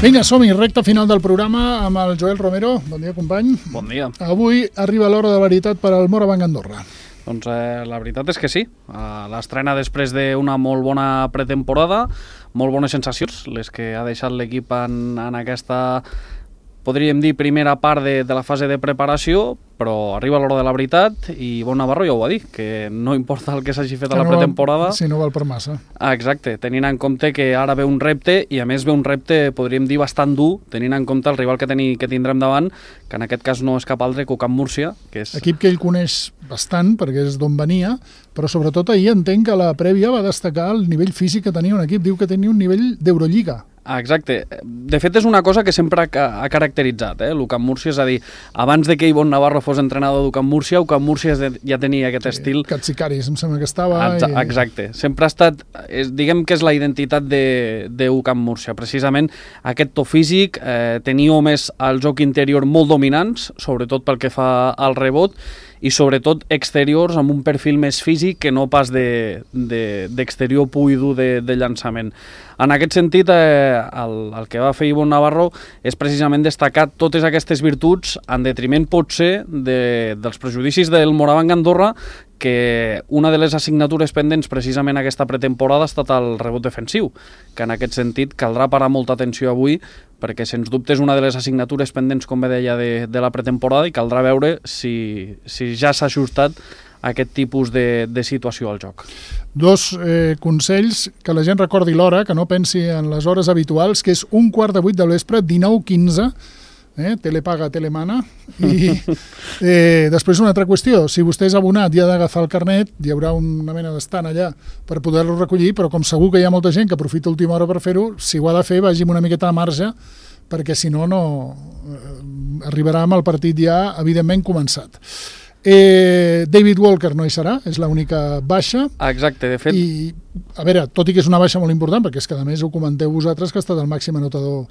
Vinga, som-hi, recta final del programa amb el Joel Romero. Bon dia, company. Bon dia. Avui arriba l'hora de veritat per al Morabanc Andorra. Doncs la veritat és que sí. L'estrena després d'una molt bona pretemporada, molt bones sensacions, les que ha deixat l'equip en aquesta, podríem dir, primera part de la fase de preparació, però arriba l'hora de la veritat i Bon Navarro ja ho va dir, que no importa el que s'hagi fet a la pretemporada. Si no val per massa. Exacte, tenint en compte que ara ve un repte, i a més ve un repte, podríem dir, bastant dur, tenint en compte el rival que tindrem davant, que en aquest cas no és cap altre que Camp Múrcia, que és... Equip que ell coneix bastant, perquè és d'on venia, però sobretot ahir entenc que la prèvia va destacar el nivell físic que tenia un equip. Diu que tenia un nivell d'Eurolliga. Exacte. De fet, és una cosa que sempre ha caracteritzat, l'Ucamp Múrcia, és a dir, abans de que Bon Navarro fos entrenador d'Ucamp Múrcia, Ucamp Múrcia ja tenia aquest estil... Katsikaris, em sembla que estava... Exacte. Sempre ha estat... Diguem que és la identitat d'Ucamp Múrcia. Precisament aquest to físic, tenir homes al joc interior molt dominants, sobretot pel que fa al rebot, i sobretot exteriors amb un perfil més físic que no pas d'exterior pur i dur de llançament. En aquest sentit, el que va fer Bon Navarro és precisament destacar totes aquestes virtuts en detriment potser dels prejudicis del Morabanc Andorra, que una de les assignatures pendents precisament aquesta pretemporada ha estat el rebot defensiu, que en aquest sentit caldrà parar molta atenció avui, perquè sens dubte és una de les assignatures pendents, com bé deia, de la pretemporada, i caldrà veure si ja s'ha ajustat aquest tipus de situació al joc. Dos consells, que la gent recordi l'hora, que no pensi en les hores habituals, que és 7:15 del vespre, 19:15, telepaga, telemana, i després una altra qüestió, si vostè és abonat i ha d'agafar el carnet, hi haurà una mena d'estant allà per poder-lo recollir, però com segur que hi ha molta gent que aprofita última hora per fer-ho, si ho ha de fer, vagi amb una miqueta de marge, perquè si no, arribarà amb el partit ja evidentment començat. David Walker no hi serà, és l'única baixa. Exacte, de fet... I, a veure, tot i que és una baixa molt important, perquè és que a més ho comenteu vosaltres, que ha estat el màxim anotador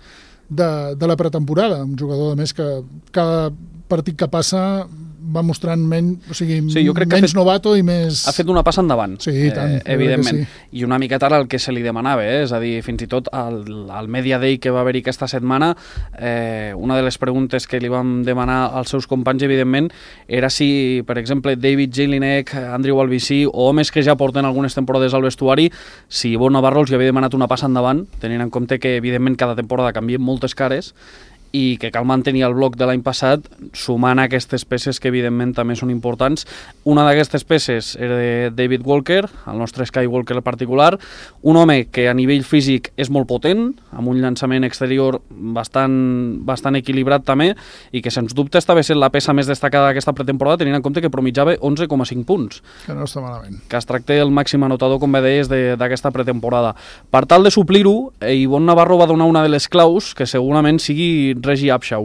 de la pretemporada, un jugador a més que cada partit que passa va mostrant menys novato i més... Ha fet una passa endavant, sí, tant, evidentment, sí. I una miqueta ara el que se li demanava, és a dir, fins i tot al Media Day que va haver-hi aquesta setmana, una de les preguntes que li vam demanar als seus companys, evidentment, era si, per exemple, David Jelinek, Andrew Albici, o homes que ja porten algunes temporades al vestuari, si Bon Navarro els havia demanat una passa endavant, tenint en compte que, evidentment, cada temporada canvien moltes cares, i que cal mantenir el bloc de l'any passat sumant aquestes peces que evidentment també són importants. Una d'aquestes peces era de David Walker, el nostre Skywalker particular, un home que a nivell físic és molt potent, amb un llançament exterior bastant equilibrat també, i que sens dubte estava sent la peça més destacada d'aquesta pretemporada, tenint en compte que promitjava 11,5 punts. Que no està malament. Que es tracta el màxim anotador, com bé deies, d'aquesta pretemporada. Per tal de suplir-ho, Bon Navarro va donar una de les claus que segurament sigui Reggie Upshaw.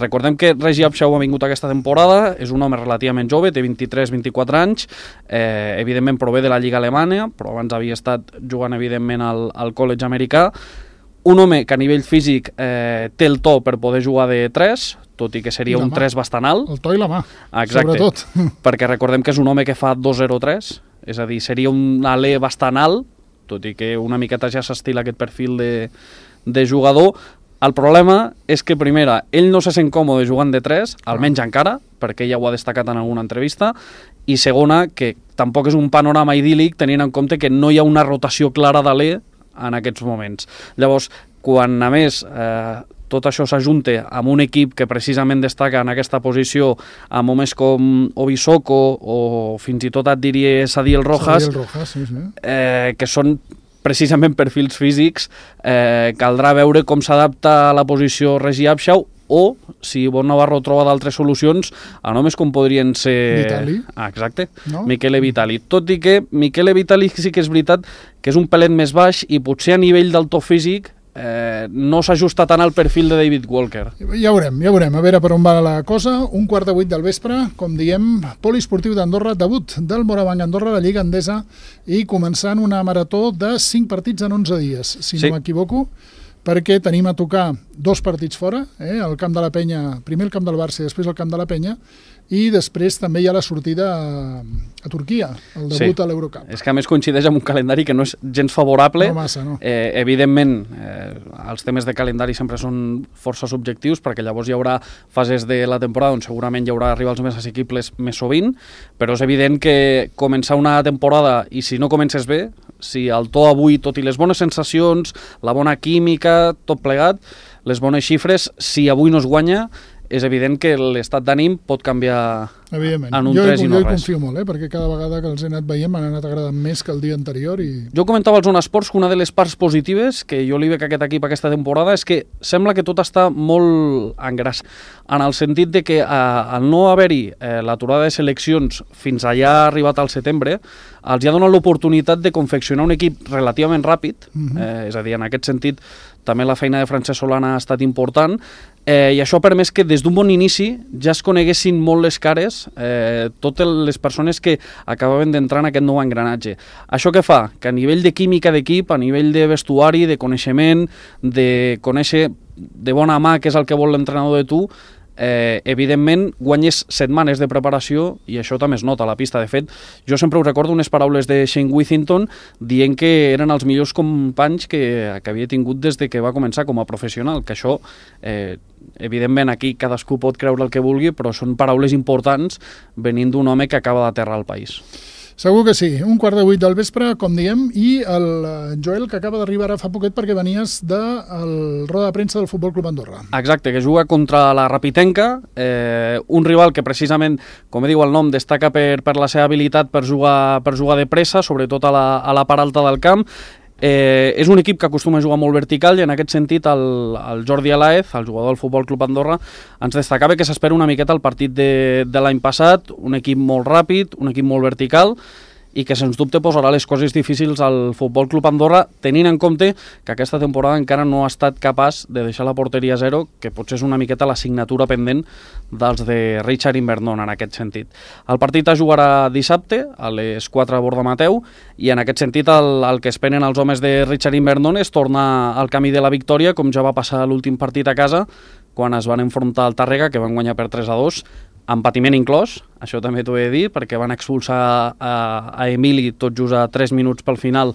Recordem que Reggie Upshaw ha vingut aquesta temporada, és un home relativament jove, té 23-24 anys, evidentment prové de la Lliga Alemanya, però abans havia estat jugant evidentment al college americà, un home que a nivell físic té el to per poder jugar de 3, tot i que seria un 3 bastant alt. El to i la mà, sobretot. Sobretot. Perquè recordem que és un home que fa 2,03, és a dir, seria un alè bastant alt, tot i que una miqueta ja s'estila aquest perfil de jugador. El problema és que, primera, ell no se sent còmode jugant de 3, almenys encara, perquè ella ho ha destacat en alguna entrevista, i segona, que tampoc és un panorama idíl·lic tenint en compte que no hi ha una rotació clara d'alè en aquests moments. Llavors, quan a més tot això s'ajunta amb un equip que precisament destaca en aquesta posició amb homes com Obisoko o fins i tot et diria Sadiel Rojas, sí. Que són precisament perfils físics, caldrà veure com s'adapta a la posició Reggie Upshaw, o si Bon Navarro troba d'altres solucions a nomes com podrien ser... Vitali. Exacte, no? Michele Vitali. Tot i que Michele Vitali sí que és veritat que és un pelet més baix i potser a nivell del to físic no s'ajusta tant al perfil de David Walker. Ja veurem, a veure per on va la cosa. 7:15 del vespre, com diem, Poliesportiu d'Andorra, debut del Morabanc Andorra, la Lliga Endesa, i començant una marató de 5 partits en 11 dies, si no m'equivoco, perquè tenim a tocar 2 partits fora, el camp de la Penya, primer el camp del Barça i després el camp de la Penya, i després també hi ha la sortida a Turquia, el debut a l'Eurocup. És que a més coincideix amb un calendari que no és gens favorable. No massa, no. Evidentment, els temes de calendari sempre són força subjectius, perquè llavors hi haurà fases de la temporada on segurament hi haurà rivals més assequibles més sovint, però és evident que començar una temporada, i si no comences bé, si el to avui, tot i les bones sensacions, la bona química, tot plegat, les bones xifres, si avui no es guanya, és evident que l'estat d'ànim pot canviar en un 3 i no res. Jo hi confio molt, perquè cada vegada que els he anat veient m'han anat agradant més que el dia anterior. Jo comentava als Zona Esports que una de les parts positives que jo li veig a aquest equip aquesta temporada és que sembla que tot està molt engràs, en el sentit de que al no haver-hi l'aturada de seleccions fins allà ha arribat al setembre, els ha donat l'oportunitat de confeccionar un equip relativament ràpid, és a dir, en aquest sentit també la feina de Francesc Solana ha estat important, i això ha permès que des d'un bon inici ja es coneguessin molt les cares totes les persones que acabaven d'entrar en aquest nou engranatge. Això què fa? Que a nivell de química d'equip, a nivell de vestuari, de coneixement, de conèixer de bona mà què és el que vol l'entrenador de tu, evidentment guanyes setmanes de preparació i això també es nota a la pista. De fet, jo sempre us recordo unes paraules de Shane Withington dient que eren els millors companys que havia tingut des de que va començar com a professional, que això evidentment aquí cadascú pot creure el que vulgui, però són paraules importants venint d'un home que acaba d'aterrar al país. Segur que sí. 7:15 del vespre, com diem, i el Joel, que acaba d'arribar ara fa poquet perquè venies del roda de premsa del Futbol Club Andorra. Exacte, que juga contra la Rapitenca, un rival que precisament, com diu el nom, destaca per la seva habilitat per jugar de pressa, sobretot a la part alta del camp. És un equip que acostuma a jugar molt vertical i en aquest sentit el Jordi Alaez, el jugador del Futbol Club Andorra, ens destacava que s'espera una miqueta el partit de l'any passat, un equip molt ràpid, un equip molt vertical i que sens dubte posarà les coses difícils al Futbol Club Andorra, tenint en compte que aquesta temporada encara no ha estat capaç de deixar la porteria a zero, que potser és una miqueta l'assignatura pendent dels de Richard Invernon en aquest sentit. El partit es jugarà dissabte a les 4 a Borda Mateu i en aquest sentit el que esperen els homes de Richard Invernon és tornar al camí de la victòria, com ja va passar l'últim partit a casa quan es van enfrontar al Tàrrega, que van guanyar per 3-2, amb patiment inclòs, això també t'ho he de dir, perquè van expulsar a Emili tot just a 3 minuts pel final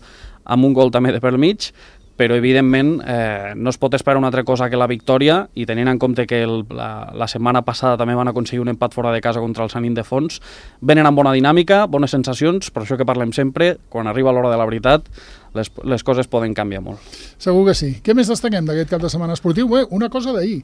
amb un gol també de pel mig, però evidentment no es pot esperar una altra cosa que la victòria, i tenint en compte que la setmana passada també van aconseguir un empat fora de casa contra el Sant Ildefons, venen amb bona dinàmica, bones sensacions, per això que parlem sempre, quan arriba l'hora de la veritat, les coses poden canviar molt. Segur que sí. Què més destaquem d'aquest cap de setmana esportiu? Una cosa d'ahir.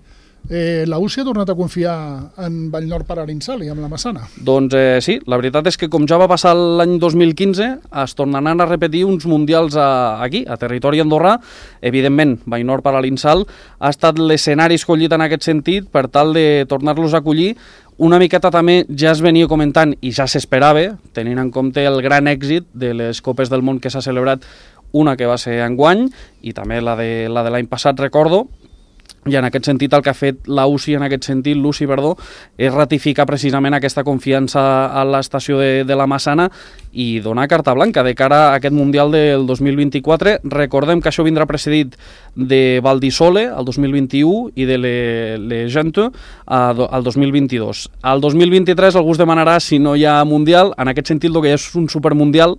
La UCI ha tornat a confiar en Vallnord per Arinsal i amb la Massana. Doncs sí, la veritat és que com ja va passar l'any 2015 es tornaran a repetir uns mundials aquí, a territori andorrà. Evidentment, Vallnord per Arinsal ha estat l'escenari escollit en aquest sentit per tal de tornar-los a acollir. Una miqueta també ja es venia comentant i ja s'esperava, tenint en compte el gran èxit de les Copes del Món que s'ha celebrat, una que va ser enguany i també la de l'any passat, recordo. I en aquest sentit el que ha fet l'UCI, és ratificar precisament aquesta confiança a l'estació de la Massana i donar carta blanca de cara a aquest Mundial del 2024. Recordem que això vindrà precedit de Valdisole, el 2021, i de Le Gente, el 2022. Al 2023 algú es demanarà si no hi ha Mundial. En aquest sentit, el que és un supermundial,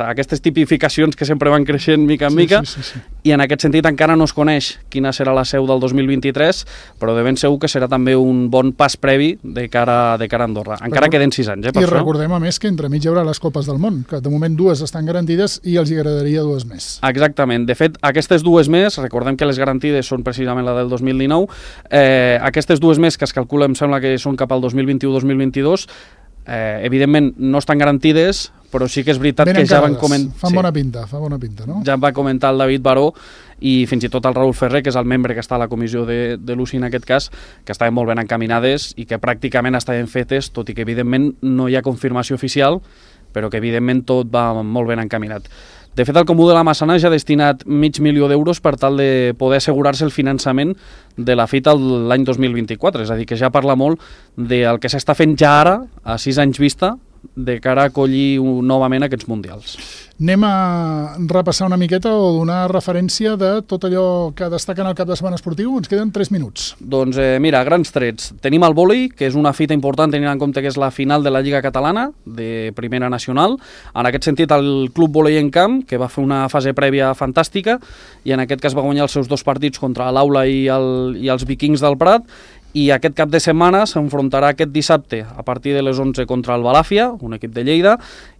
aquestes tipificacions que sempre van creixent mica en mica, sí. I en aquest sentit encara no es coneix quina serà la seu del 2023, però de ben segur que serà també un bon pas previ de cara a Andorra. Encara queden 6 anys, per I això. Recordem a més que entremig hi haurà les Copes del Món, que de moment 2 estan garantides i els hi agradaria 2 més. Exactament. De fet, aquestes 2 més, recordem que les garantides són precisament la del 2019, aquestes 2 més que es calcula, em sembla que són cap al 2021-2022, evidentment no estan garantides, però sí que és veritat que ja van comentar... Fa bona pinta, no? Ja va comentar el David Baró i fins i tot el Raül Ferrer, que és el membre que està a la comissió de l'UCI en aquest cas, que estaven molt ben encaminades i que pràcticament estaven fetes, tot i que evidentment no hi ha confirmació oficial, però que evidentment tot va molt ben encaminat. De fet, el Comú de la Massana ja ha destinat $500.000 per tal de poder assegurar-se el finançament de la fita l'any 2024, és a dir, que ja parla molt del que s'està fent ja ara, a 6 anys vista, de cara a acollir novament aquests mundials. Anem a repassar una miqueta o donar referència de tot allò que destaca en el cap de setmana esportiu. Ens queden 3 minuts. Doncs mira, grans trets. Tenim el vòlei, que és una fita important tenint en compte que és la final de la Lliga Catalana de Primera Nacional. En aquest sentit, el Club Vòlei en Camp, que va fer una fase prèvia fantàstica i en aquest cas va guanyar els seus 2 partits contra l'Aula i els Vikings del Prat, i aquest cap de setmana s'enfrontarà aquest dissabte a partir de les 11 contra el Balàfia, un equip de Lleida,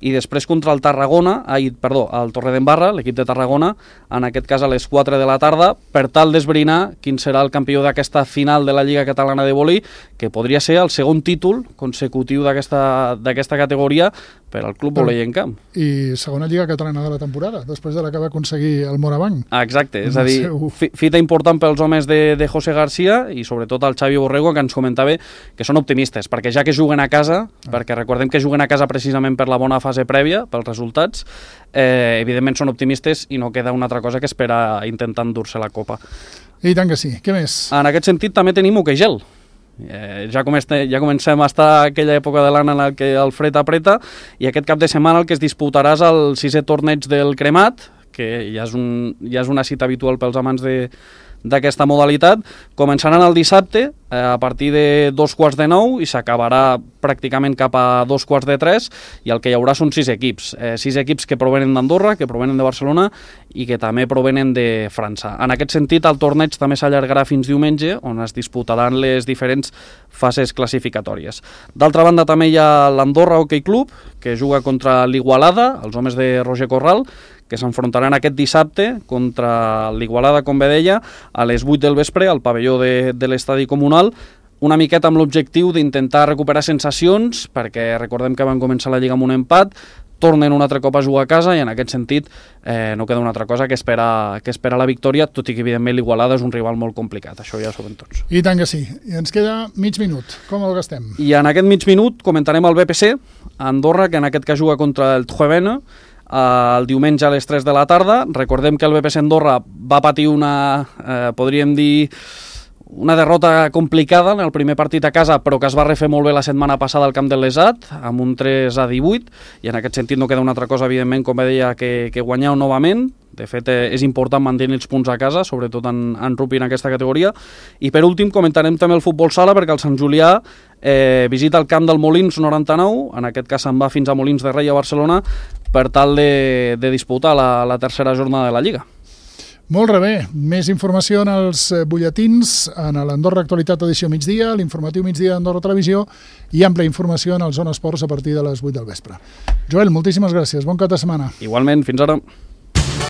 i després contra el el Torredembarra, l'equip de Tarragona, en aquest cas a les 4 de la tarda, per tal d'esbrinar quin serà el campió d'aquesta final de la Lliga Catalana de Vòlei, que podria ser el segon títol consecutiu d'aquesta categoria per al Club Vòlei en Camp. I segona Lliga Catalana de la temporada, després de la que va aconseguir el Morabanc. Exacte, és a dir, fita important pels homes de José García i sobretot el Xavi Borrego, que ens comentava que són optimistes, perquè ja que juguen a casa, perquè recordem que juguen a casa precisament per la bona fase prèvia, pels resultats, evidentment són optimistes i no queda una altra cosa que esperar intentant dur-se la copa. I tant que sí. Què més? En aquest sentit també tenim hoquei gel. Ja comencem a estar a aquella època de l'any en què el fred apreta, i aquest cap de setmana el que es disputarà és el 6è torneig del Cremat, que ja és una cita habitual pels amants d'aquesta modalitat. Començaran el dissabte a partir de 2:45 i s'acabarà pràcticament cap a 2:45, i el que hi haurà són 6 equips. 6 equips que provenen d'Andorra, que provenen de Barcelona i que també provenen de França. En aquest sentit, el torneig també s'allargarà fins diumenge, on es disputaran les diferents fases classificatòries. D'altra banda, també hi ha l'Andorra Hockey Club, que juga contra l'Igualada, els homes de Roger Corral, que s'enfrontaran aquest dissabte contra l'Igualada, com bé deia, a les 8 del vespre al pavelló de l'estadi comunal, una miqueta amb l'objectiu d'intentar recuperar sensacions, perquè recordem que van començar la Lliga amb un empat, tornen un altre cop a jugar a casa, i en aquest sentit no queda una altra cosa que esperar la victòria, tot i que evidentment l'Igualada és un rival molt complicat, això ja ho sabem tots. I tant que sí. I ens queda mig minut. Com el gastem? I en aquest mig minut comentarem el BPC a Andorra, que en aquest cas juga contra el Tjuevena, el diumenge a les 3 de la tarda. Recordem que el BPC Andorra va patir podríem dir, una derrota complicada en el primer partit a casa, però que es va refer molt bé la setmana passada al camp del Lesat, amb un 3-18, i en aquest sentit no queda una altra cosa, evidentment, com deia, que guanyar novament. De fet, és important mantenir els punts a casa, sobretot en rugby en aquesta categoria. I per últim comentarem també el futbol sala, perquè el Sant Julià visita el camp del Molins 99, en aquest cas se'n va fins a Molins de Rei a Barcelona, per tal de disputar la tercera jornada de la Lliga. Molt bé. Més informació en els butlletins, en l'Andorra Actualitat edició migdia, l'informatiu migdia d'Andorra Televisió, i àmplia informació en el Zona Esports a partir de les 8 del vespre. Joel, moltíssimes gràcies. Bon cap de setmana. Igualment, fins ara.